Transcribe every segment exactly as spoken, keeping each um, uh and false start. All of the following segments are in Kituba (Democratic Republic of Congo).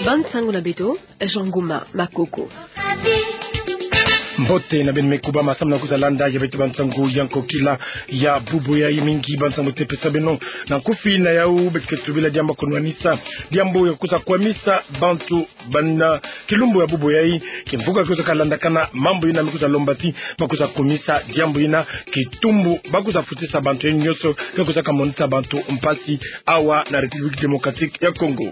Bansangu na beto, Jean Nguma Makoko. Mbote na beno me kubama samu na kwiza landa ya beto bansangu ya nkokila ya bubu yayi. Mingi bansangu tupesa beno. Na nkufi na yau, beto ke tubila diambu ya kunwanisa, diambu ya kwiza kwamisa bantu bana kilumbu ya bubu yayi. Kimvuka ke kwizaka landakana, mambu yina me kwiza lomba ti ba kwiza kumisa diambu yina, kitumbu ba kwiza futisa bantu yayi nyonso ke kwizaka monisa bantu mpasi awa na République Démocratique ya Congo.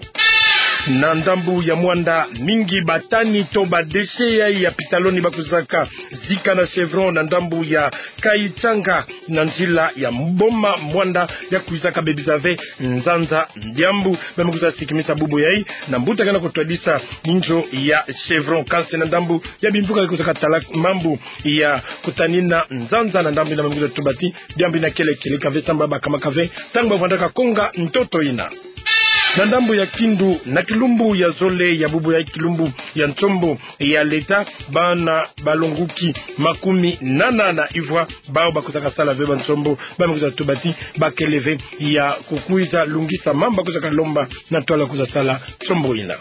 Na ndambu ya Muanda, mingi batani to badéchets yayi ya pitaloni ba kwizaka zika na chevron na ndambu ya Kaitanga, na nzila ya Boma Muanda, ya kwizaka bebisa ve nzanza. Diambu ba me kwiza sikimisa bubu yayi na mbuta ke na kutwadisa inzo ya chevron. Kansi na ndambu ya bimvuka ke kwizaka tala mambu ya kutanina nzanza na ndambu yina, ba me kwiza tuba ti diambu yina kele kele ka ve samu ba kamaka ve ntangu ba vandaka konga ntoto yina. Na ndambu ya Kindu, na kilumbu ya zole ya bubu yayi, kilumbu ya nsombo ya leta, bana balonguki makumi nana na ivwa bawu ba kwizaka sala ve bansombo, ba me kwiza tuba ti ba kele ve ya kukwiza lungisa mambu ba kwizaka lomba na ntwala kwiza sala nsombo yina.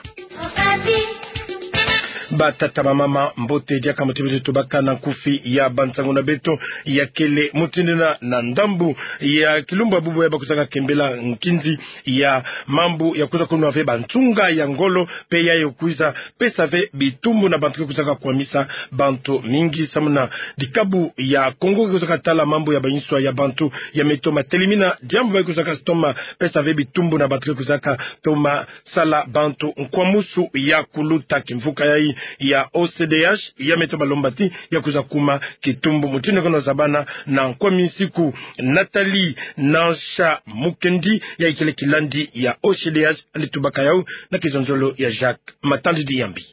Batata, bamama, mbote diaka, mbote beto tubaka na nkufi ya bansangu na beto ya kele mutindu yina. Na ndambu ya kilumbu ya bubu yayi, ba kwizaka kembela nkinzi ya mambu ya kwiza kunwa ve bansunga ya ngolo, mpe yayi kwiza pesa ve bitumbu na bantu ke kwizaka kwamisa bantu mingi samu na dikabu ya Congo ke kwizaka tala mambu ya bainswa ya bantu ya me toma telimina diambu ba kwizaka toma pesa ve bitumbu na bantu ke kwizaka toma sala bantu nkwamusu ya kuluta. Kimvuka yayi ya O C D H ya me toma lomba ti ya kwiza kuma kitumbu. Mutindu ke na zabana na nkwami nsiku, Nathalie Nansha Mukendi, yayi kele kilandi ya O C D H, yandi tubaka yau na kizonzolo ya Jacques Matandidi Yambi.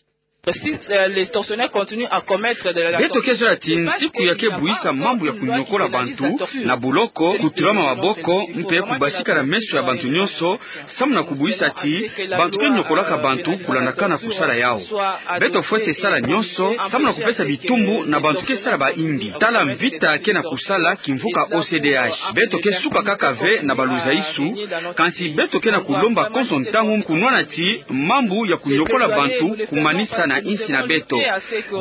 Si, euh, les tortionnaires continuent à commettre de la... Beto ke zola ti nsiku ya ke buisa mambu ya kunyokola bantu na buloko, kutulama maboko, mpe kubasika na meso ya bantu nyonso, samu na kubuisa ti bantu ke nyokolaka bantu kulandakana kusala yau. Beto fwete sala nyonso samu na kupesa bitumbu na bantu ke sala baimbi. Tala mvita ke na kusala kimvuka O C D H. Beto ke suka kaka ve na baluzaisu, kansi beto ke na kulomba konso ntangu kunwana ti mambu ya kunyokola bantu kumanisa na insi na beto.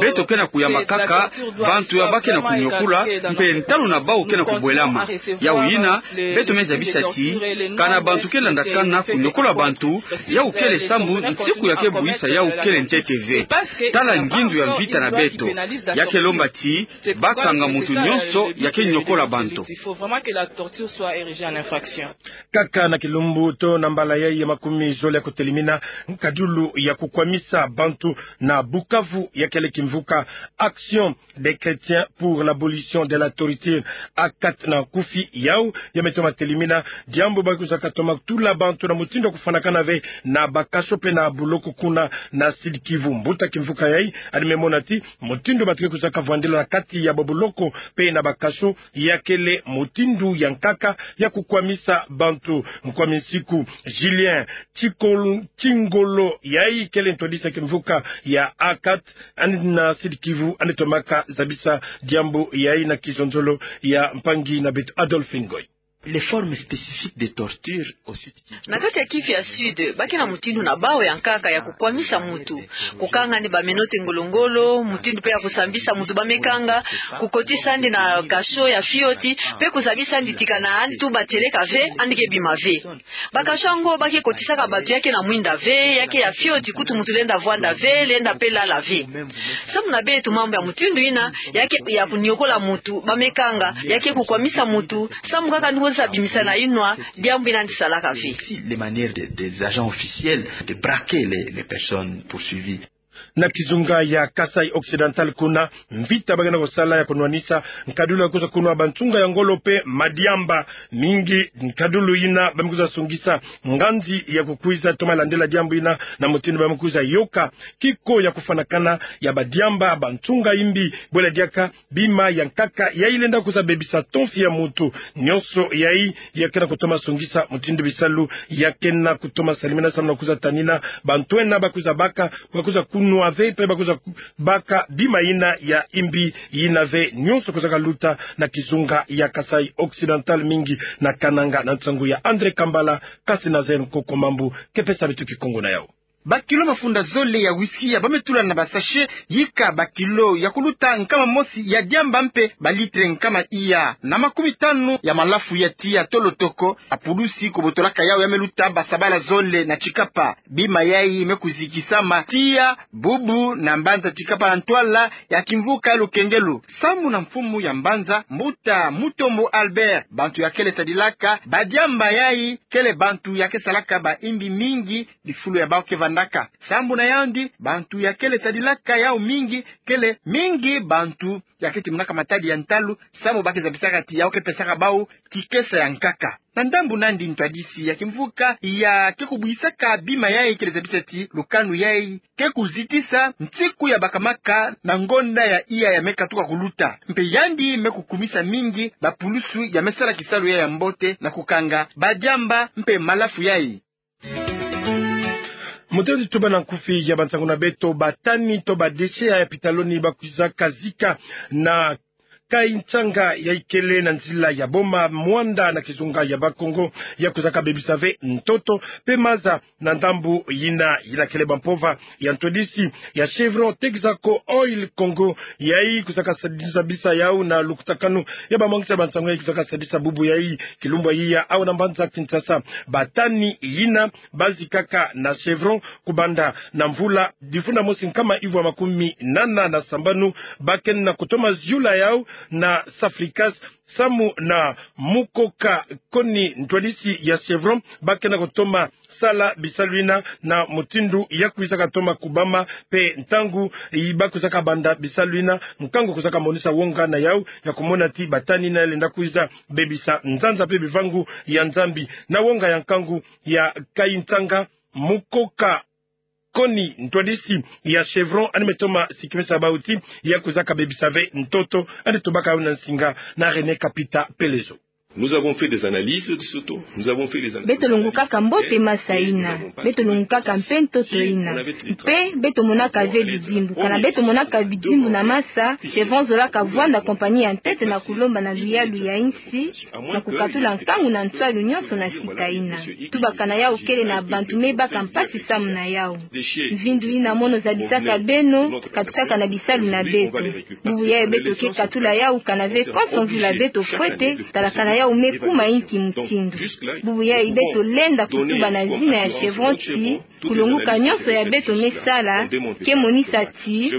Beto ke na kuyamba kaka bantu ya ba ke na kunyokola, mpe ntalu na bawu ke na kubwelama. Yau yina, beto me zabisa ti kana bantu ke landakana kunyokola bantu, yau kele sambu nsiku ya ke buisa yau kele ntete ve. Tala ngindu ya mvita na beto. Ya ke lomba ti ba kanga muntu nyonso ya ke nyokola bantu. Il faut vraiment que la torture soit érigée en infraction. Kaka na kilumbu to na mbala yayi ya makumi zole ya kutelimina, nkadulu ya kukwamisa bantu na Bukavu ya kele kimvuka Action des Chrétiens pour l'abolition de la torture, ACAT na nkufi yau, ya me toma telimina diambu ba kwizaka toma tula bantu na mutindu ya kufwanakana ve na bakasho mpe na buloko kuna na Sud-Kivu. Mbuta kimvuka yayi yandi me mona ti mutindu bantu ke kwizaka vwandila na kati ya babuloko mpe na bakasho, ya kele mutindu ya nkaka ya kukwamisa bantu. Nkwami nsiku Julien Chikol-, Chingolo, yayi kele ntwadisi ya kimvuka ya ACAT, yandi na Sud-Kivu, yandi tomaka zabisa diambu yayi na kizonzolo ya mpangi na beto Adolphe Ngoy. Les formes spécifiques de torture au Sud-Kivu. Na kati ya Kivu ya Sud, ba ke na mutindu na bawu ya nkaka ya kukwamisa muntu. Kukanga yandi bamenote ngolo-ngolo, mutindu mpe ya kusambisa muntu ba me kanga, kukotisa yandi na kasho ya fioti, mpe kuzabisa yandi ti kana yandi tuba tieleka ve, yandi ke bima ve. Bakasho yango ba ke kotisaka bantu ya ke na mwinda ve, ya ke ya fioti, kutu muntu lenda vwanda ve, lenda mpe lala ve. Samu na beto mambu ya mutindu yina, ya ke ya kunyokola muntu ba me kanga, ya ke kukwamisa muntu, samu kaka yandi kwiza bimisa na yinwa diambu yina yandi salaka ve. Aussi les manières de, des agents officiels de braquer les, les personnes poursuivies. Na kizunga ya Kasaï Occidental kuna, mvita ba ke na kusala ya kunwanisa nkadulu ya kwiza kunwa bansunga ya ngolo mpe madiamba. Mingi nkadulu yina ba me kwiza sungisa nganzi ya kukwiza toma landila diambu yina na mutindu ba me kwiza yoka kiko ya kufwanakana ya badiamba, bansunga imbi, bwela diaka bima ya nkaka yayi lenda kwiza bebisa tonfi ya muntu. Nyonso yayi ya ke na kutoma sungisa mutindu bisalu ya ke na kutoma salimina samu na kwiza tanina bantu yina ba kwiza baka, ba kwiza kunwa ve, mpe ba kwiza ku-, baka bima yina ya imbi yina ve. Nyonso kwizaka luta na kizunga ya Kasaï Occidental, mingi na Kananga, na nsangu ya André Kambala, kansi Nazaire Nkoko Mambu ke pesa beto kikongo na yau. Bakilo mafunda zole ya whisky ya bame tula na basachet, yika bakilo ya kuluta nkama mosi ya diamba mpe balitre nkama iya na makumi tanu ya malafu ya tiya tolo toko. Bapulusi kobotolaka yawu ya me luta basabala zole na Tshikapa. Bima yayi me kuzikisama tiya bubu na mbanza Tshikapa na ntwala ya kimvuka ya Lukengelo. Sambu na mfumu ya mbanza, mbuta Mutombo Albert, bantu ya kele sadilaka badiamba yayi kele bantu ya ke salaka bayimbi mingi, bifulu ya bawu ke vandaka. Sambu na yandi, bantu ya kele sadilaka yawu mingi kele mingi bantu ya ke timunaka matadi ya ntalu, sambu ba ke zabisaka ti yawu ke pesaka bawu kikesa ya nkaka. Na ndambu nandi, ntwadisi ya kimvuka ya ke kubwisaka bima yayi kele zabisa ti lukanu yayi ke kuzitisa nsiku ya bakamaka na ngonda ya iya ya me katuka kuluta. Mpe yandi me kukumisa mingi bapulusu ya me sala kisalu yayi ya mbote na kukanga badiamba mpe malafu yayi. Mutendi, tuba na nkufi ya bansangu na beto: batani to badéchets ya pitaloni ba kwizaka zika na Kaintsanga ya ikele na nzila ya Boma Muanda na kizunga ya Bakongo, ya kwizaka bebisa ve ntoto mpe maza na ndambu yina, yina kele bampova ya ntwadisi ya Chevron Texaco Oil Congo, yayi kwizaka sadisa bisa yawu na lukutakanu ya bamwangisa bansangu yayi kwizaka sadisa bubu yayi kilumbu ya iya awa na mbanza Kinshasa. Batani yina ba zikaka na Chevron kubanda na mvula difunda mosi nkama ivu ya makumi nana na sambanu, ba kena kutoma ziula yawu na Safricas, samu na mukoka koni ntwadisi ya Chevron ba kena kutoma sala bisalu yina na mutindu ya kwizaka toma kubama, mpe ntangu yi ba kwizaka banda bisalu yina, nkangu kwizaka monisa wonga na yawu ya kumona ti batani yina ya lenda kwiza bebisa nzanza mpe bivangu ya Nzambi. Na wonga ya nkangu ya Kaintsanga, mukoka koni ntwadisi ya Chevron yandi me toma sikimisa bawu ti ya kwizaka bebisa ve ntoto. Yandi tubaka yawu na nsinga na René Kapita Pelezo. Nous avons fait des analyses de ce taux. Nous avons fait des analyses. Beto longukaka mbote masa yina. Beto longukaka mpe ntoto yina. Mpe beto monaka ve bidimbu. Kana beto monaka bidimbu na masa, Chevron zolaka vwanda compagnie ya ntete na kulomba na luyalu ya insi na kukatula nkangu na nswalu nyonso na sika yina. Tubaka na yawu kele na bantu me baka mpasi samu na yawu. Mvindu yina mono zabisaka beno, katukaka na bisalu na beto. Bubu yayi beto ke katula yawu kana ve konso mvula beto fwete, tala kana yawu me kuma inki mutindu. Bubu yayi beto lenda kutuba na zina ya Chevron ti kulonguka nyonso ya beto me sala ke monisa ti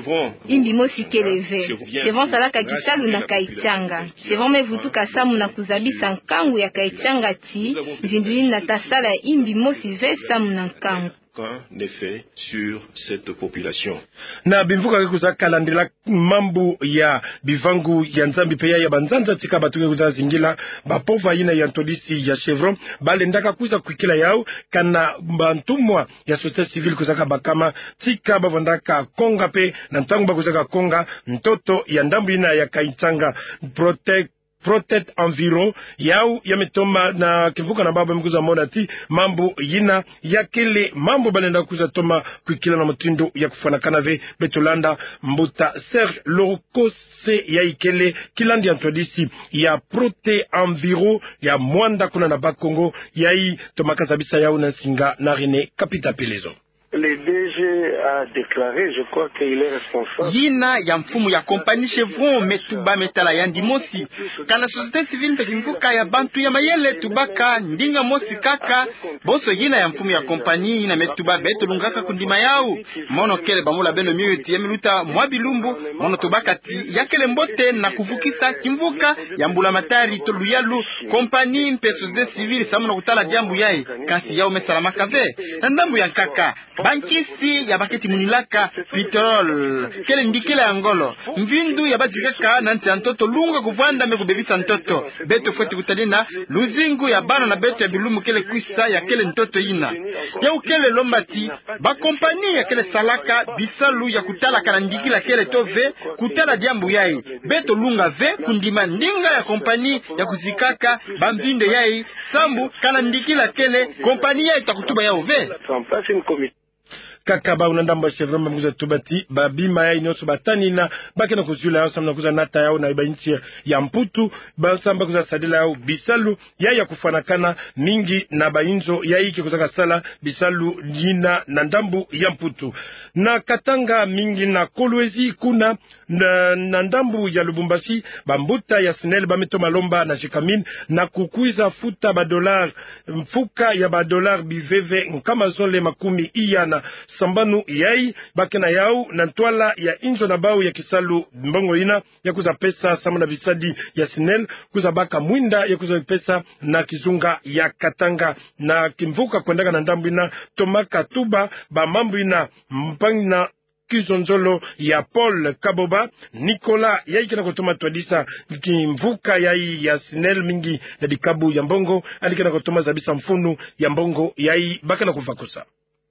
yimbi mosi kele ve. Chevron salaka kisalu na Kaintsanga. Chevron me vutuka samu na kuzabisa nkangu ya Kaintsanga ti mvindu yina ta sala yimbi mosi ve samu na nkangu. Aucun effet sur cette population. Na bimvuka ke kwiza kalandila mambu ya bivangu ya Nzambi mpe ya, ya banzanza tika bato ke kwiza zingila, bampova yina ya ntwadisi ya Chevron, balendaka kwiza kwikila yawu, kana bantumwa ya société civile kwizaka bakama, tika bavandaka konga mpe na ntangu bakwizaka konga ntoto ya ndambu yina ya Kaintsanga. Protect Protect Environ, yawu ya me toma na kimvuka na babo me kwiza mona ti mambu yina ya kele mambu balenda kwiza toma kwikila na mutindu ya kufwanakana ve. Beto landa mbuta Serge Lorokose, yayi kele kilandi ya ntwadisi ya Protect Environ ya Muanda kuna na Bas-Congo, yayi toma kazabisa yawu na nsinga na René Kapita Pelezo. Le D G a déclaré, je crois qu'il est responsable. Yina ya mfumu ya compagnie Chevron me tuba, me tala yandi mosi. Kana société civile mpe kimvuka ya bantu ya mayele tubaka ndinga mosi kaka. Bonso yina ya mfumu ya compagnie yina me tuba beto lungaka kundima yawu. Mono kele bamula beno mio ti ya me luta mwa bilumbu, mono tubaka ti ya kele mbote na kuvukisa kimvuka ya mbulamatari to luyalu, compagnie mpe société civile samu na kutala diambu yayi. Kansi yawu me salamaka ve. Na ndambu ya nkaka, bankisi ya ba ke timunilaka pétrole kele ndikila ya ngolo. Mvindu ya bazikaka na nsi ya ntoto lunga kuvwanda me kubebisa ntoto. Beto fweti kutalina luzingu ya bana na beto ya bilumbu kele kwisa ya kele ntoto yina. Yawu kele lomba ti ba compagnie ya kele salaka bisalu ya kutala kana ndikila kele to ve, kutala diambu yayi. Beto lunga ve kundima ndinga ya compagnie ya kuzikaka bamvindu yayi, sambu kana ndikila kele, compagnie yayi ta kutuba yawu ve. Kaka bau na ndambu ya Chevron ba me kwiza tuba ti ba bima yai nyonso ba tanina, ba ke na kuziula yau samu na kwiza nata yau na ba insi ya Mputu, ba samu ba kwiza sadila yau bisalu yai ya kufwanakana mingi na ba inzo yai ke kwizaka sala bisalu yina na ndambu ya Mputu. Na Katanga mingi na Kolwezi kuna, na, na ndambu ya Lubumbashi, bambuta ya SNEL ba me toma lomba na Gécamines na kukwiza futa ba dollars, mfuka ya ba dollars biveve nkama zole makumi iya na sambanu yai ba ke na yau na ntwala ya inzo na bau ya kisalu mbongo yina ya kwiza pesa samu na bisadi ya SNEL, kwiza baka mwinda ya kwiza pesa na kizunga ya Katanga. Na kimvuka kwendaka na ndambu yina, tomaka tuba ba mambu yina mpangi na kizonzolo ya Paul Kaboba, Nicolas, yai ke na kutoma twadisa kimvuka yai ya SNEL mingi na bikabu ya mbongo, yandi ke na kutoma zabisa mfunu ya mbongo yai ba ke na kuvakusa.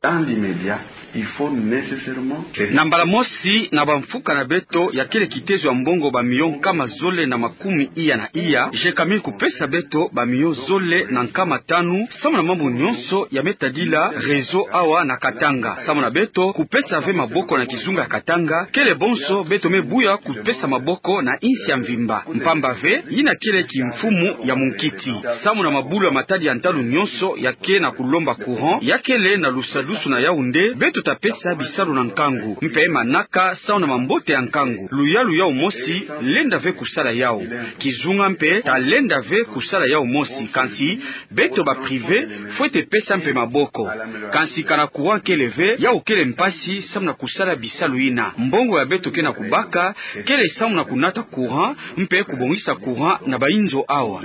Dans l'immédiat, il faut nécessairement que... Na mbala mosi, na bamfuka na beto ya kele kitezo ya mbongo ba millions nkama zole na makumi iya na iya, Gécamines kupesa beto ba millions zole na nkama tanu, samu na mambu nyonso ya me tadila réseau awa na Katanga. Samu na beto kupesa ve maboko na kizunga ya Katanga, kele bonso beto me buya kupesa maboko na insi ya mvimba. Mpamba ve, yina kele kimfumu ya munkiti. Samu na mabulu ya matadi ya ntalu nyonso ya ke na kulomba courant, ya kele na lusadusu na Yaoundé, beto ta pesa bisalu na nkangu. Mpe manaka samu na mambote ya nkangu. Luyalu yau mosi lenda ve kusala yau. Kizunga mpe ta lenda ve kusala yau mosi. Kansi beto ba privés, fwete pesa mpe maboko. Kansi kana courant kele ve, yau kele mpasi samu na kusala bisalu yina. Mbongo ya beto ke na kubaka, kele samu na kunata courant, mpe kubongisa courant na ba inzo awa.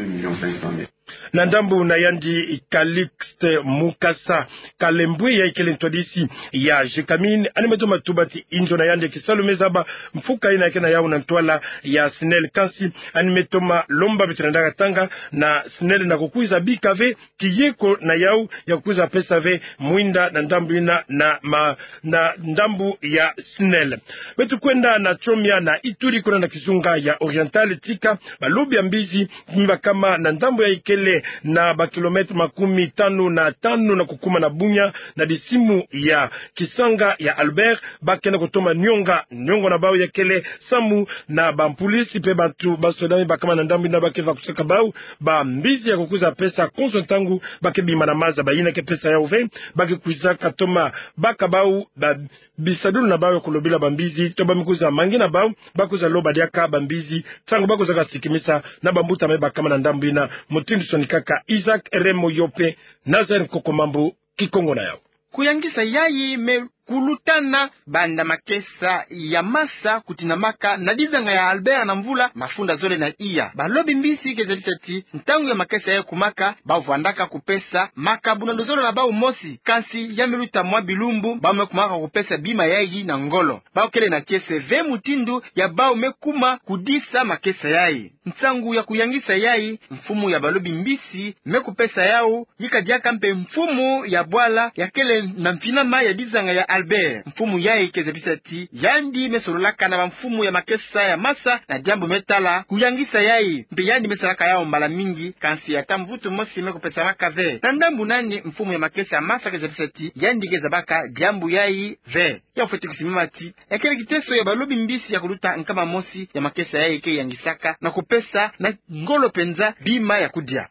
Na ndambu na yandi, Calixte Mukasa Kalembwe, yai kele ntwadisi ya Gécamines, yandi me toma tuba ti inzo na yandi ya kisalu me zaba mfuka yina ya ke na yau na ntwala ya SNEL. Kansi yandi me toma lomba beto na ndaka tanga na SNEL na kukwiza bika ve kiyeko na yau ya kukwiza pesa ve mwinda na ndambu yina na ma-, na ndambu ya SNEL. Beto kwenda na Tchomia na Ituri, kuna na kizunga ya Oriental, tika balobi ya mbizi me bakama na ndambu yai kele na ba kilomètres makumi tanu na tanu na kukuma na Bunia, na disimu ya Kisanga ya Albert, ba ke na kutoma nionga, niongo na bau ya kele samu na bampulisiti mpe bantu ba soda me bakama na ndambu yina ba ke vakusaka bau bambizi ya kukwiza pesa konso ntangu ba ke bima na maza. Bayina ke pesa yau ve, ba ke kwizaka toma baka bau ba bisadulu na bau ya kulobila bambizi, to ba me kwiza mangi na bau, ba kwiza loba diaka bambizi ntangu ba kwizaka sikimisa na bambuta me bakama na ndambu yina. Mutindu sonikaka Isaac Remo Yope, Nazaire Nkokomambu, Kikongo na yau. Kuyangisa yai me kulutana banda makesa ya masa kutinamaka na dizanga ya Albert na mvula mafunda zole na iya. Balobi mbizi ke zabisa ti ntangu ya makesa yai kumaka, bau vwandaka kupesa makabu na luzolo na bau mosi, kansi ya me luta mwa bilumbu, bau me kumaka kupesa bima yai na ngolo. Bau kele na kiese ve mutindu ya bau me kuma kudisa makesa yai. Nsangu ya kuyangisa yai, mfumu ya balobi mbizi me kupesa yau, yika diaka mpe mfumu ya bwala ya kele na mfinama ya dizanga ya Albert. Mfumu yai ke zabisa ti yandi me sololaka na bamfumu ya makesa ya masa na diambu me tala kuyangisa yai, mpe yandi me salaka yau mbala mingi, kansi ata mvutu mosi me kupesamaka ve. Na ndambu nani mfumu ya makesa ya masa ke zabisa ti yandi ke zabaka diambu yai ve? Ya fweti kusimama ti ya kele kiteso ya balobi mbizi ya kuluta nkama mosi ya makesa yai ke yangisaka na kupesa na ngolo mpenza bima ya kudia.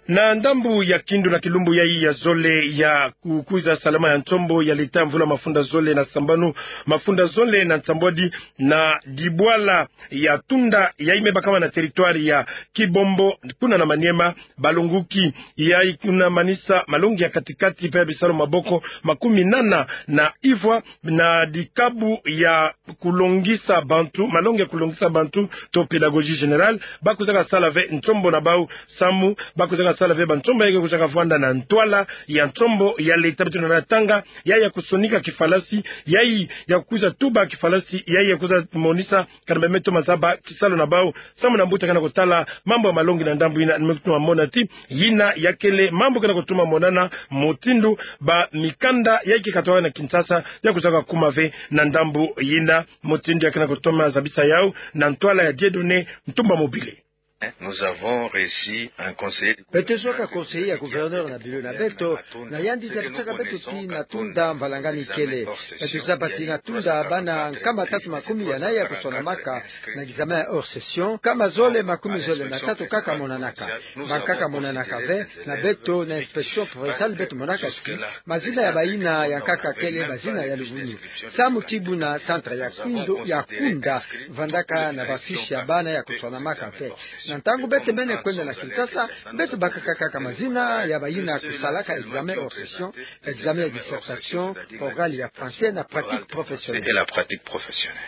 Na ndambu ya Kindu, na kilumbu yai ya zole ya kukwiza salama ya nsombo ya leta mvula mafunda zole na sambanu, mafunda zole na nsambwadi, na dibwala ya Tunda yai me bakama na territoire ya Kibombo, kuna na Maniema, balonguki yai kuna manisa malongi ya kati-kati mpe ya bisalu maboko makumi nana na ivwa na dikabu ya kulongisa bantu, malongi ya kulongisa bantu to pédagogie générale, ba kwizaka sala ve nsombo na bau samu ba kwizaka sala ve bansombo yai ke kwizaka vwanda na ntwala ya nsombo ya leta. Beto na tanga yai ya kusonika kifalasi, yai ya kwiza tuba kifalasi, yai ya kwiza monisa kana ba me toma zaba kisalu na bau, samu na mbuta ke na kutala mambu ya malongi na ndambu yina, me kutoma mona ti yina ya kele mambu ke na kutoma monana, mutindu bamikanda yai ke katwaka na Kinshasa ya kwizaka kuma ve na ndambu yina, mutindu ya ke na kutoma zabisa yau na ntwala ya Dieudonné Ntumba Mobile. Nous avons reçu un conseiller. Beto zwaka conseiller ya gouverneur na bilo na beto, na yandi zabisaka beto ti na tunda mvalangani kele. Beto zaba ti na tunda bana nkama tatu makumi ya nai ya kusonamaka na examen hors session, nkama zole makumi zole na tatu kaka monanaka. Bankaka monanaka ve, na beto na inspection provinciale beto monaka ti mazina ya bayina ya nkaka kele mazina ya luvunu. Samu ti buna centre ya kwindo ya kunda vandaka na bafiche ya bana ya kusonamaka ve. Na ntangu beto mene kwenda na Kinshasa, beto bakaka kaka mazina ya bayina kusalaka examen hors session, examen ya dissertation, oral ya français na pratique professionnelle. Et la pratique professionnelle.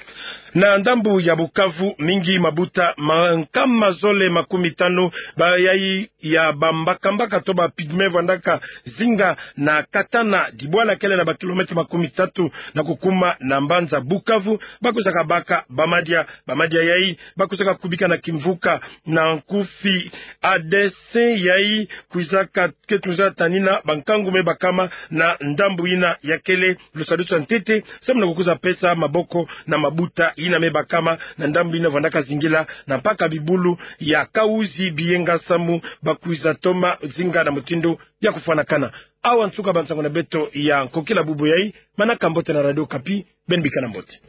Na ndambu ya Bukavu, mingi mabuta ma nkama zole makumi tanu bayai ya bambakambaka to ba pygmée vandaka zinga na Katana, dibwala kele na ba kilomètre makumi tatu na kukuma na mbanza Bukavu, bakwizaka baka bamadia. Bamadia yai bakwizaka kubika na kimvuka na nkufi A D C, yai kwizaka ke tunza tanina bankangu me bakama na ndambu yina ya kele lusadusu ya ntete, samu na kukwiza pesa maboko na mabuta yina me bakama na ndambu yina vandaka zingila na mpaka bibulu ya Kahuzi-Biyenga samu bakwiza toma zinga na mutindu ya kufwanakana. Awa nsuka ba nsangu na beto ya nkokila bubu yai. Manaka mbote na Radio Okapi, beno bika na mbote.